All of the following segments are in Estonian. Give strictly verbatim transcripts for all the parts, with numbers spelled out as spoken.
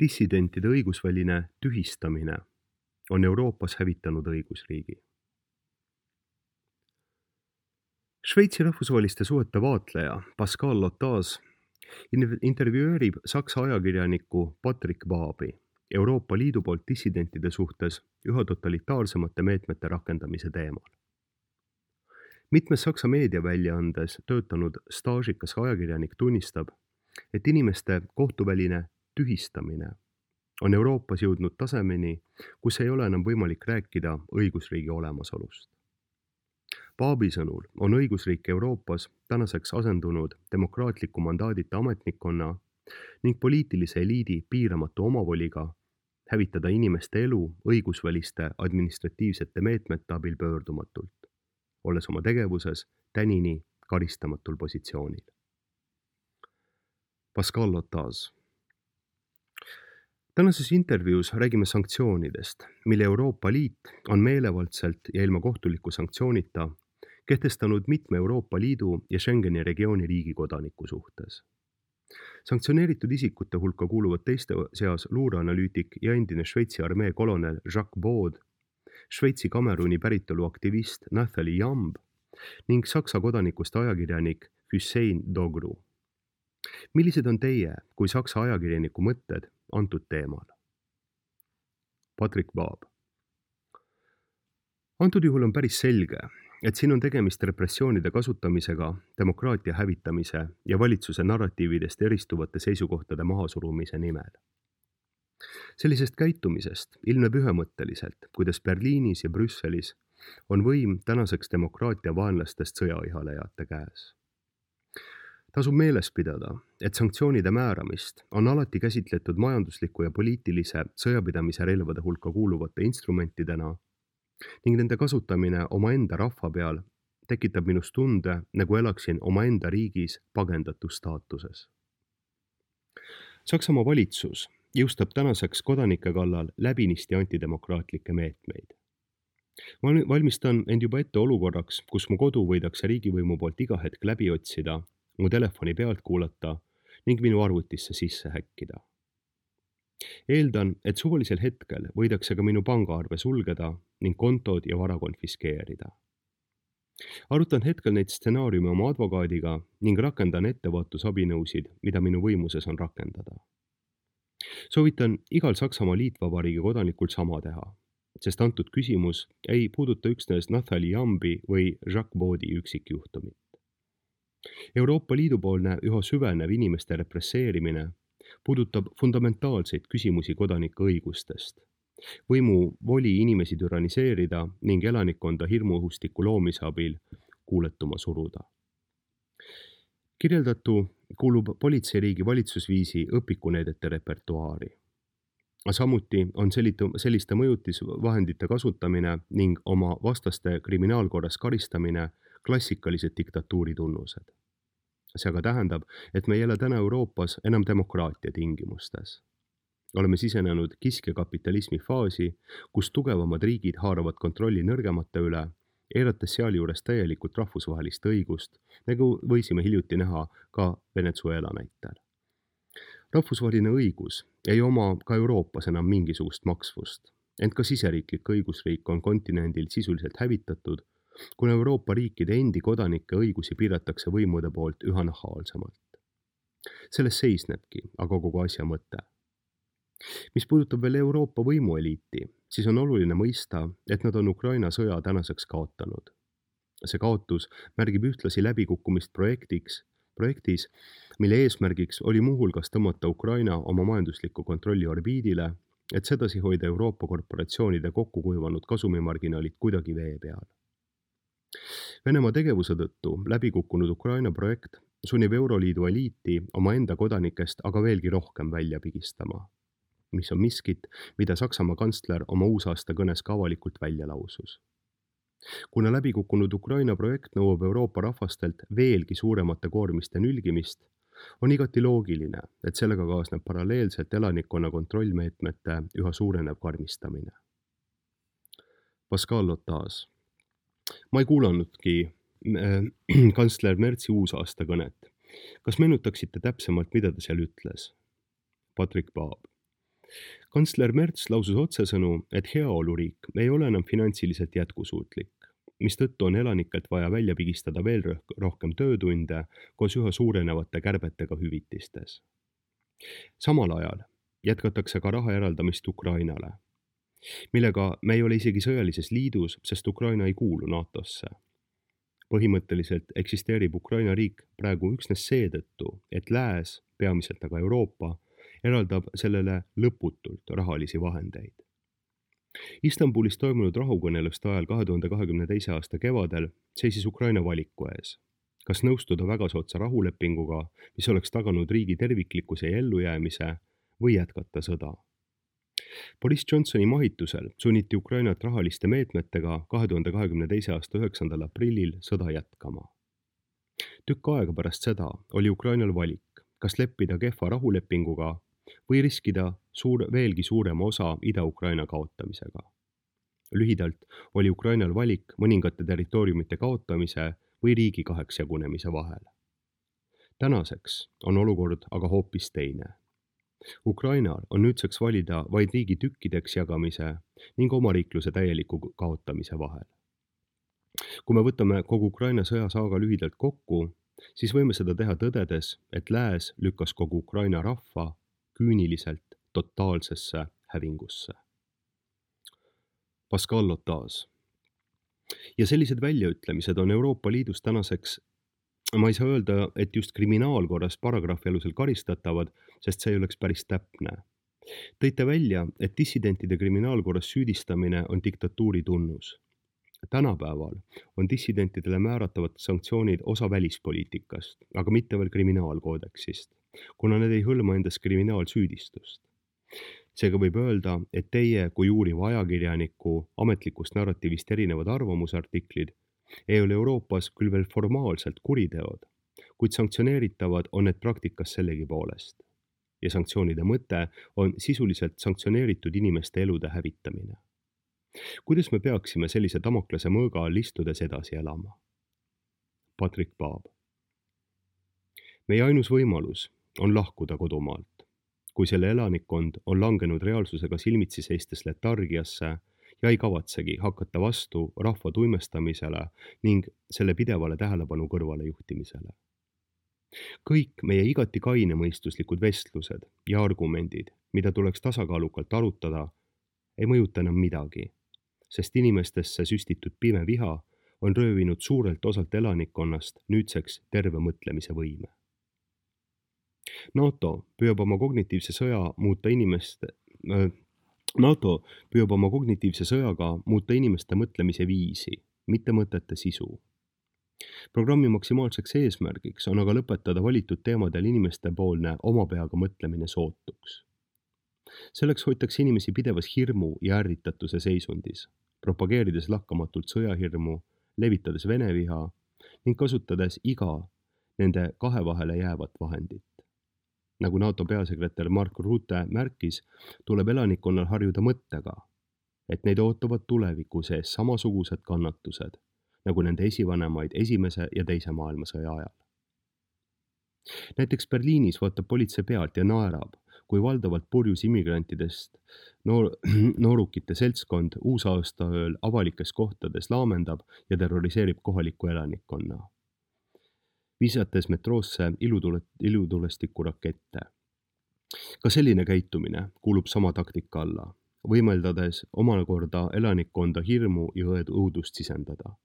Dissidentide õigusväline tühistamine on Euroopas hävitanud õigusriigi. Šveitsi rahvusvaheliste suhete vaatleja Pascal Lotas intervjueerib Saksa ajakirjanikku Patrick Baabi Euroopa Liidu poolt dissidentide suhtes üha totalitaarsemate meetmete rakendamise teemal. Mitmes Saksa meediaväljaandes töötanud staažikas ajakirjanik tunnistab, et inimeste kohtuväline tühistamine on Euroopas jõudnud tasemeni, kus ei ole enam võimalik rääkida õigusriigi olemasolust. Baabi sõnul on õigusriik Euroopas tänaseks asendunud demokraatliku mandaadita ametnikkonna ning poliitilise eliidi piiramatu omavoliga hävitada inimeste elu õigusväliste administratiivsete meetmete abil pöördumatult, olles oma tegevuses tänini karistamatul positsioonil. Pascal Lotas. Tänases intervjuus räägime sanktsioonidest, mille Euroopa Liit on meelevaldselt ja ilma kohtuliku sanktsioonita kehtestanud mitme Euroopa Liidu ja Schengeni regiooni riigi kodaniku suhtes. Sanktsioneeritud isikute hulka kuuluvad teiste seas luureanalüütik ja endine Šveitsi armee kolonel Jacques Baud, Šveitsi Kameruni päritolu aktivist Nathalie Jamb ning Saksa kodanikust ajakirjanik Hüseyin Dogru. Millised on teie kui Saksa ajakirjaniku mõtted antud teemal? Patrick Baab. Antud juhul on päris selge, et siin on tegemist repressioonide kasutamisega demokraatia hävitamise ja valitsuse narratiividest eristuvate seisukohtade mahasurumise nimel. Sellisest käitumisest ilmneb ühemõtteliselt, kuidas Berliinis ja Brüsselis on võim tänaseks demokraatia vaenlastest sõjaõhalejate käes. Tasub meeles pidada, et sanktsioonide määramist on alati käsitletud majandusliku ja poliitilise sõjapidamise relvade hulka kuuluvate instrumentidena ning nende kasutamine omaenda rahva peal tekitab minust tunde, nagu elaksin omaenda riigis pagendatu staatuses. Saksamaa valitsus jõustab tänaseks kodanike kallal läbinisti antidemokraatlikke meetmeid. Ma valmistan end juba ette olukorraks, kus mu kodu võidakse riigivõimu poolt iga hetk läbi otsida, mu telefoni pealt kuulata ning minu arvutisse sisse häkkida. Eeldan, et suvalisel hetkel võidakse ka minu pangaarve sulgeda ning kontod ja vara konfiskeerida. Arutan hetkel neid stsenaariume oma advokaadiga ning rakendan ettevaatusabinõusid, mida minu võimuses on rakendada. Soovitan igal Saksamaa liitvabariigi kodanikul sama teha, sest antud küsimus ei puuduta üksnes Nathalie Jambi või Jacques Baudi üksikjuhtumit. Euroopa Liidu poolne üha süvenev inimeste represseerimine puudutab fundamentaalseid küsimusi kodanike õigustest, võimu voli inimesi türaniseerida ning elanikkonda hirmuõhustiku loomise abil kuuletuma suruda. Kirjeldatu kuulub politseiriigi valitsusviisi õpikuneedete repertuaari. Samuti on selliste mõjutisvahendite kasutamine ning oma vastaste kriminaalkorras karistamine klassikalised diktatuuri tunnused. See aga tähendab, et me ei ele täna Euroopas enam demokraatia tingimustes. Oleme sisenenud kiskjakapitalismi faasi, kus tugevamad riigid haaravad kontrolli nõrgemate üle, eirates sealjuures täielikult rahvusvahelist õigust, nagu võisime hiljuti näha ka Venezuela näitel. Rahvusvaheline õigus ei oma ka Euroopas enam mingisugust maksvust, ent ka siseriiklik õigusriik on kontinendil sisuliselt hävitatud, kuna Euroopa riikide endi kodanike õigusi piiratakse võimude poolt üha nahaalsemalt. Selles seisnebki aga kogu asja mõte. Mis puudutab veel Euroopa võimueliiti, siis on oluline mõista, et nad on Ukraina sõja tänaseks kaotanud. See kaotus märgib ühtlasi läbikukkumist projektiks, projektis, mille eesmärgiks oli muuhulgas tõmmata Ukraina oma majandusliku kontrolli orbiidile, et sedasi hoida Euroopa korporatsioonide kokku kuivanud kasumimarginaalid kuidagi vee peal. Venemaa tegevuse tõttu läbikukkunud Ukraina projekt sunnib Euroliidu eliiti oma enda kodanikest aga veelgi rohkem välja pigistama, mis on miskit, mida Saksamaa kantsler oma uusaasta kõnes ka avalikult välja lausus. Kuna läbikukkunud Ukraina projekt nõuab Euroopa rahvastelt veelgi suuremate koormiste nülgimist, on igati loogiline, et sellega kaasneb paralleelselt elanikkonna kontrollmeetmete üha suurenev karmistamine. Pascal Lotas. Ma ei kuulanudki äh, kantsler Mertsi uusaasta kõnet. Kas meenutaksite täpsemalt, mida ta seal ütles? Patrick Baab. kantsler Merts lausus otsesõnu, et heaoluriik ei ole enam finantsiliselt jätkusuutlik, mistõttu on elanikelt vaja välja pigistada veel rohkem töötunde koos üha suurenevate kärbetega hüvitistes. Samal ajal jätkatakse ka raha eraldamist Ukrainale, millega me ei ole isegi sõjalises liidus, sest Ukraina ei kuulu NATOsse. Põhimõtteliselt eksisteerib Ukraina riik praegu üksnes seetõttu, et lääs, peamiselt aga Euroopa, eraldab sellele lõputult rahalisi vahendeid. Istanbulis toimunud rahukõneluste ajal kahe tuhande kahekümne teise aasta kevadel seisis Ukraina valiku ees. Kas nõustuda väga soodsa rahulepinguga, mis oleks taganud riigi terviklikkuse ja ellujäämise, või jätkata sõda? Boris Johnsoni mahitusel sunniti Ukrainat rahaliste meetmetega kahe tuhande kahekümne teise aasta üheksandal aprillil sõda jätkama. Tükk aega pärast seda oli Ukrainal valik, kas leppida kehva rahulepinguga või riskida suur, veelgi suurema osa Ida-Ukraina kaotamisega. Lühidalt oli Ukrainal valik mõningate territooriumite kaotamise või riigi kaheks jagunemise vahel. Tänaseks on olukord aga hoopis teine. Ukrainal on nüüdseks valida vaid riigi tükkideks jagamise ning omariikluse täieliku kaotamise vahel. Kui me võtame kogu Ukraina sõjasaaga lühidalt kokku, siis võime seda teha tõdedes, et lääs lükkas kogu Ukraina rahva küüniliselt totaalsesse hävingusse. Pascal Lotas. Ja sellised väljaütlemised on Euroopa Liidus tänaseks, ma ei saa öelda, et just kriminaalkorras paragrahvi alusel karistatavad, sest see ei oleks päris täpne. Tõite välja, et dissidentide kriminaalkorras süüdistamine on diktatuuri tunnus. Tänapäeval on dissidentidele määratavad sanktsioonid osa välispoliitikast, aga mitte veel kriminaalkoodeksist, kuna need ei hõlma endas kriminaalsüüdistust. Seega võib öelda, et teie kui uuriva ajakirjaniku ametlikust narratiivist erinevad arvamusartiklid ei ole Euroopas küll veel formaalselt kuriteod, kuid sanktsioneeritavad on need praktikas sellegi poolest. Ja sanktsioonide mõte on sisuliselt sanktsioneeritud inimeste elude hävitamine. Kuidas me peaksime sellise Damoklese mõõga all istudes edasi elama? Patrick Paab. Meie ainus võimalus on lahkuda kodumaalt. Kui selle elanikkond on langenud reaalsusega silmitsi seistes letargiasse ja ei kavatsegi hakata vastu rahva tuimestamisele ning selle pidevale tähelepanu kõrvale juhtimisele. Kõik meie igati kainemõistuslikud vestlused ja argumendid, mida tuleks tasakaalukalt arutada, ei mõjuta enam midagi, sest inimestesse süstitud pime viha on röövinud suurelt osalt elanikkonnast nüüdseks terve mõtlemise võime. NATO püüab oma kognitiivse sõja muuta inimeste, äh, NATO püüab oma kognitiivse sõjaga muuta inimeste mõtlemise viisi, mitte mõtete sisu. Programmi maksimaalseks eesmärgiks on aga lõpetada valitud teemadel inimeste poolne oma peaga mõtlemine sootuks. Selleks hoitakse inimesi pidevas hirmu ja ärritatuse seisundis, propageerides lakkamatult sõjahirmu, levitades veneviha ning kasutades iga nende kahe vahele jäävat vahendit. Nagu NATO peasekretär Mark Rutte märkis, tuleb elanikkonnal harjuda mõttega, et neid ootavad tuleviku sees samasugused kannatused, nagu nende esivanemaid esimese ja teise maailmasõja ajal. Näiteks Berliinis vaatab politsei pealt ja naerab, kui valdavalt purjus immigrantidest noor, noorukite seltskond uusaastaööl avalikes kohtades laamendab ja terroriseerib kohalikku elanikkonna, visates metroosse ilutule, ilutulestiku rakette. Ka selline käitumine kuulub sama taktika alla, võimeldades omakorda elanikkonda hirmu ja õudust sisendada.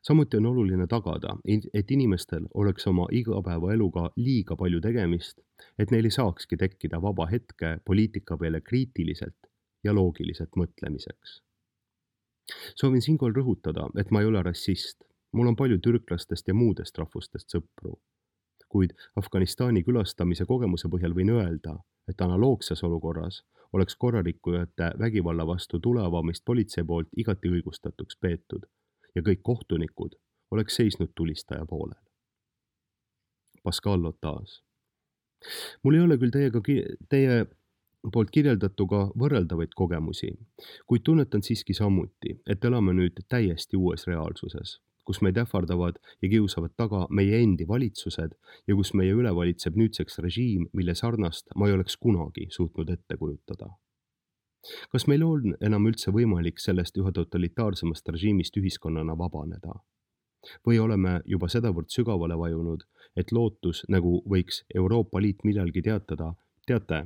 Samuti on oluline tagada, et inimestel oleks oma igapäevaeluga liiga palju tegemist, et neil ei saakski tekkida vaba hetke poliitika peale kriitiliselt ja loogiliselt mõtlemiseks. Soovin siinkohal rõhutada, et ma ei ole rassist. Mul on palju türklastest ja muudest rahvustest sõpru. Kuid Afganistani külastamise kogemuse põhjal võin öelda, et analoogses olukorras oleks korrarikkujate vägivalla vastu tulevamist politsei poolt igati õigustatuks peetud ja kõik kohtunikud oleks seisnud tulistaja poolel. Pascal Lotas. Mul ei ole küll teiega, teie poolt kirjeldatuga võrreldavaid kogemusi, kuid tunnetan siiski samuti, et elame nüüd täiesti uues reaalsuses, kus meid ähvardavad ja kiusavad taga meie endi valitsused ja kus meie üle valitseb nüüdseks režiim, mille sarnast ma ei oleks kunagi suutnud ette kujutada. Kas meil on enam üldse võimalik sellest üha totalitaarsemast režiimist ühiskonnana vabaneda? Või oleme juba sedavõrd sügavale vajunud, et lootus, nagu võiks Euroopa Liit millalgi teatada, teate,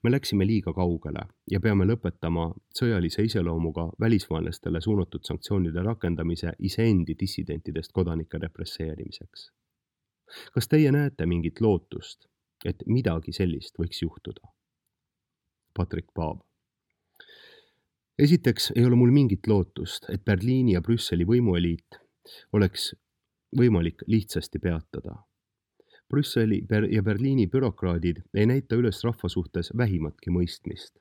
me läksime liiga kaugele ja peame lõpetama sõjalise iseloomuga välisvaenlastele suunatud sanktsioonide rakendamise iseendi dissidentidest kodanike represseerimiseks. Kas teie näete mingit lootust, et midagi sellist võiks juhtuda? Patrik Paab. Esiteks ei ole mul mingit lootust, et Berliini ja Brüsseli võimueliit oleks võimalik lihtsasti peatada. Brüsseli ja Berliini bürokraadid ei näita üles rahva suhtes vähimatki mõistmist,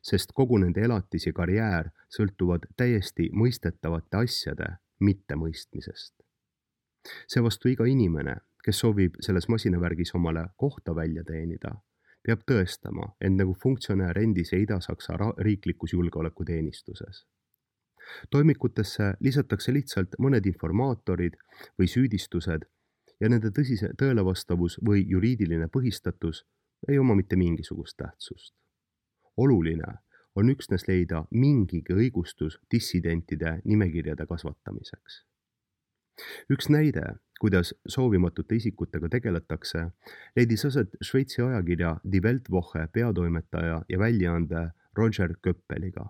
sest kogu nende elatis ja karjäär sõltuvad täiesti mõistetavate asjade mittemõistmisest. Seevastu iga inimene, kes soovib selles masinavärgis omale kohta välja teenida, peab tõestama end nagu funktsionäär endise Ida-Saksa riiklikus julgeolekuteenistuses. Toimikutesse lisatakse lihtsalt mõned informaatorid või süüdistused ja nende tõsise tõelevastavus või juriidiline põhistatus ei oma mitte mingisugust tähtsust. Oluline on üksnes leida mingigi õigustus dissidentide nimekirjade kasvatamiseks. Üks näide, kuidas soovimatute isikutega tegeletakse, leidis aset Šveitsi ajakirja Die Weltwoche peatoimetaja ja väljaande Roger Köppeliga.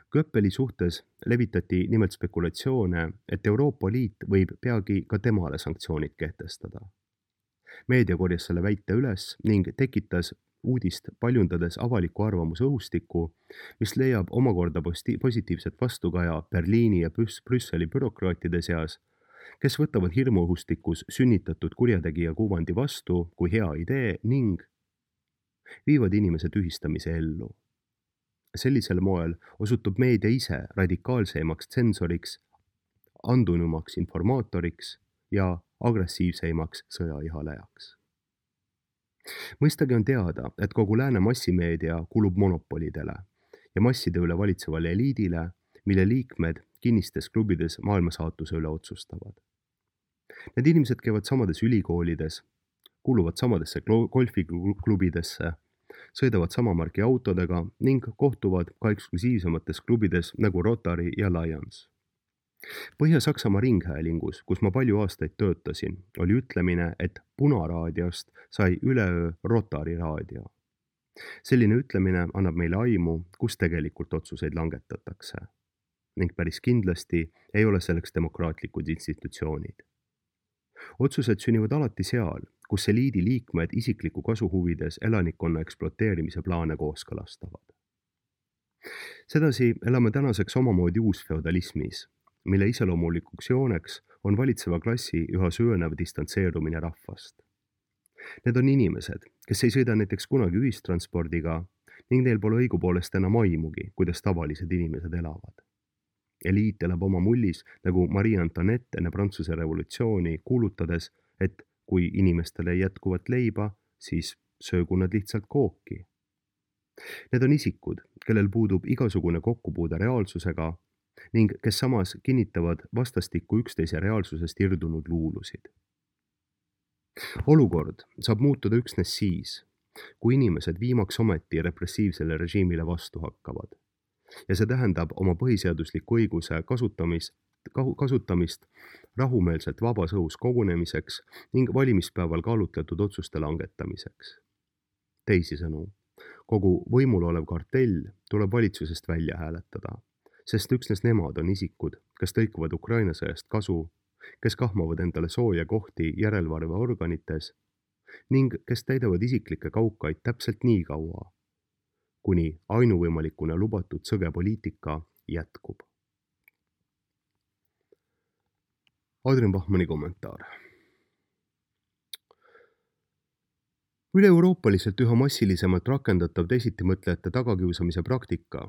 Köppeli suhtes levitati nimelt spekulatsioone, et Euroopa Liit võib peagi ka temale sanktsioonid kehtestada. Meedia korjas selle väite üles ning tekitas uudist paljundades avaliku arvamuse õhustikku, mis leiab omakorda positiivset vastukaja Berliini ja Brüsseli bürokraatide seas, kes võtavad hirmuõhustikus sünnitatud kurjategija kuvandi vastu kui hea idee ning viivad inimese tühistamise ellu. Sellisel moel osutub meedia ise radikaalseimaks tsensoriks, andunumaks informaatoriks ja agressiivseimaks sõjaihalejaks. Mõistagi on teada, et kogu lääne massimeedia kulub monopolidele ja masside üle valitsevale eliidile, mille liikmed kinnistes klubides maailmasaatuse üle otsustavad. Need inimesed käivad samades ülikoolides, kuuluvad samadesse golfiklubidesse, sõidavad samamarki autodega ning kohtuvad ka eksklusiivsemates klubides nagu Rotary ja Lions. Põhja-Saksamaa ringhäälingus, kus ma palju aastaid töötasin, oli ütlemine, et punaraadiost sai üleöö Rotary raadio. Selline ütlemine annab meile aimu, kus tegelikult otsuseid langetatakse. Ning päris kindlasti ei ole selleks demokraatlikud institutsioonid. Otsused sünnivad alati seal, kus eliidi liikmed isikliku kasu huvides elanikkonna ekspluateerimise plaane kooskõlastavad. Sedasi elame tänaseks omamoodi uusfeodalismis, mille iseloomulikuks jooneks on valitseva klassi üha süvenev distantseerumine rahvast. Need on inimesed, kes ei sõida näiteks kunagi ühistranspordiga ning neil pole õigupoolest enam aimugi, kuidas tavalised inimesed elavad. Eliit elab oma mullis nagu Marie Antoinette enne Prantsuse revolutsiooni, kuulutades, et kui inimestele ei jätkuvat leiba, siis söögu nad lihtsalt kooki. Need on isikud, kellel puudub igasugune kokkupuude reaalsusega ning kes samas kinnitavad vastastikku üksteise reaalsusest irdunud luulusid. Olukord saab muutuda üksnes siis, kui inimesed viimaks ometi repressiivsele režiimile vastu hakkavad. Ja see tähendab oma põhiseadusliku õiguse kasutamist, kasutamist rahumeelselt vabas õhus kogunemiseks ning valimispäeval kaalutletud otsuste langetamiseks. Teisisõnu, kogu võimul olev kartell tuleb valitsusest välja hääletada, sest üksnes nemad on isikud, kes tõikuvad Ukraina sõjast kasu, kes kahmavad endale sooja kohti järelevalveorganites ning kes täidavad isiklikke kaukaid täpselt nii kaua, kuni ainuvõimalikuna lubatud sõge poliitika jätkub. Adrian Bachmanni kommentaar. Üle-euroopaliselt üha massilisemalt rakendatav teisitimõtlejate tagakiusamise praktika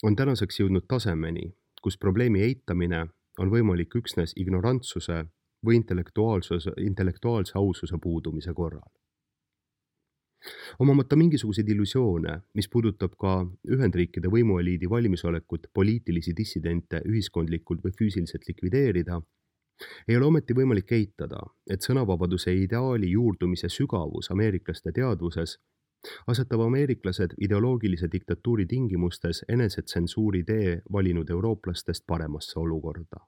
on tänaseks jõudnud tasemeni, kus probleemi eitamine on võimalik üksnes ignorantsuse või intellektuaalse aususe puudumise korral. Omamata mingisuguseid illusioone, mis puudutab ka Ühendriikide võimueliidi valmisolekut poliitilisi dissidente ühiskondlikult või füüsiliselt likvideerida, Ei ole ometi võimalik eitada, et sõnavabaduse ideaali juurdumise sügavus ameeriklaste teadvuses asetab ameeriklased ideoloogilise diktatuuri tingimustes enesetsensuuri tee valinud eurooplastest paremasse olukorda.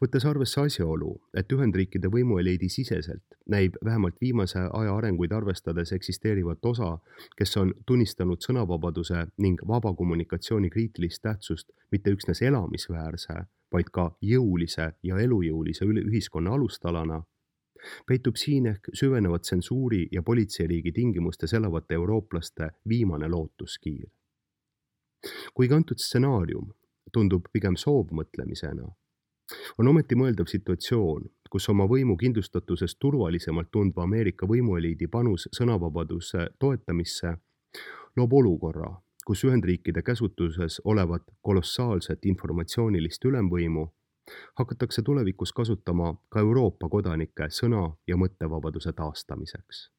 Võttes arvesse asjaolu, et Ühendriikide võimueliidi siseselt näib vähemalt viimase aja arenguid arvestades eksisteerivat osa, kes on tunnistanud sõnavabaduse ning vaba kommunikatsiooni kriitilist tähtsust mitte üksnes elamisväärse, vaid ka jõulise ja elujõulise ühiskonna alustalana, peitub siin ehk süvenevat tsensuuri ja politseiriigi tingimustes elavate eurooplaste viimane lootuskiir. Kuigi antud stsenaarium tundub pigem soovmõtlemisena, on ometi mõeldav situatsioon, kus oma võimu kindlustatusest turvalisemalt tundva Ameerika võimueliidi panus sõnavabaduse toetamisse loob olukorra, kus Ühendriikide käsutuses olevat kolossaalset informatsioonilist ülemvõimu hakatakse tulevikus kasutama ka Euroopa kodanike sõna- ja mõttevabaduse taastamiseks.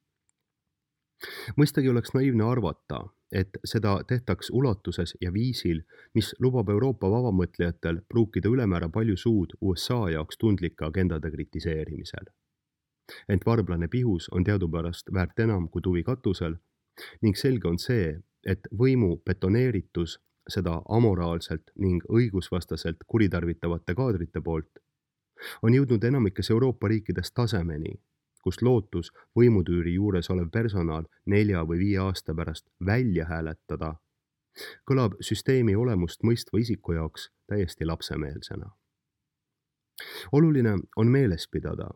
Mõistagi oleks naiivne arvata, et seda tehtaks ulatuses ja viisil, mis lubab Euroopa vabamõtlejatel pruukida ülemäära palju suud U S A jaoks tundlike agendade kritiseerimisel. Ent varblane pihus on teadupärast väärt enam kui tuvi katusel ning selge on see, et võimu betoneeritus seda amoraalselt ning õigusvastaselt kuritarvitavate kaadrite poolt, on jõudnud enamikes Euroopa riikides tasemeni, kus lootus võimutüüri juures olev personal nelja või viie aasta pärast välja hääletada, kõlab süsteemi olemust mõistva isiku jaoks täiesti lapsemeelsena. Oluline on meeles pidada,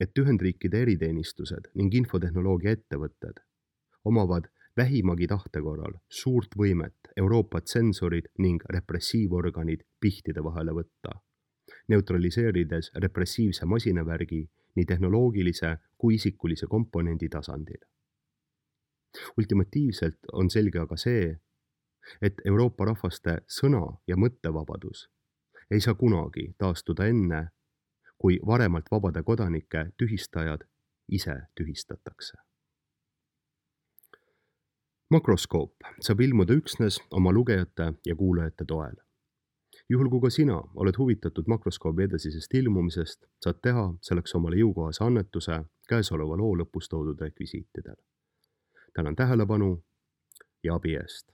et Ühendriikide eriteenistused ning infotehnoloogia ettevõtted omavad vähimagi tahte korral suurt võimet Euroopa tsensorid ning repressiivorganid pihtide vahele võtta, neutraliseerides repressiivse masinavärgi nii tehnoloogilise kui isikulise komponendi tasandil. Ultimatiivselt on selge aga see, et Euroopa rahvaste sõna- ja mõttevabadus ei saa kunagi taastuda enne, kui varemalt vabade kodanike tühistajad ise tühistatakse. Makroskoop saab ilmuda üksnes oma lugejate ja kuulajate toel. Juhul kui ka sina oled huvitatud Makroskoobi edasisest ilmumisest, saad teha selleks omale jõukohase annetuse käesoleva loo lõpus toodud rekvisiitidel. Tänan tähelepanu ja abi eest!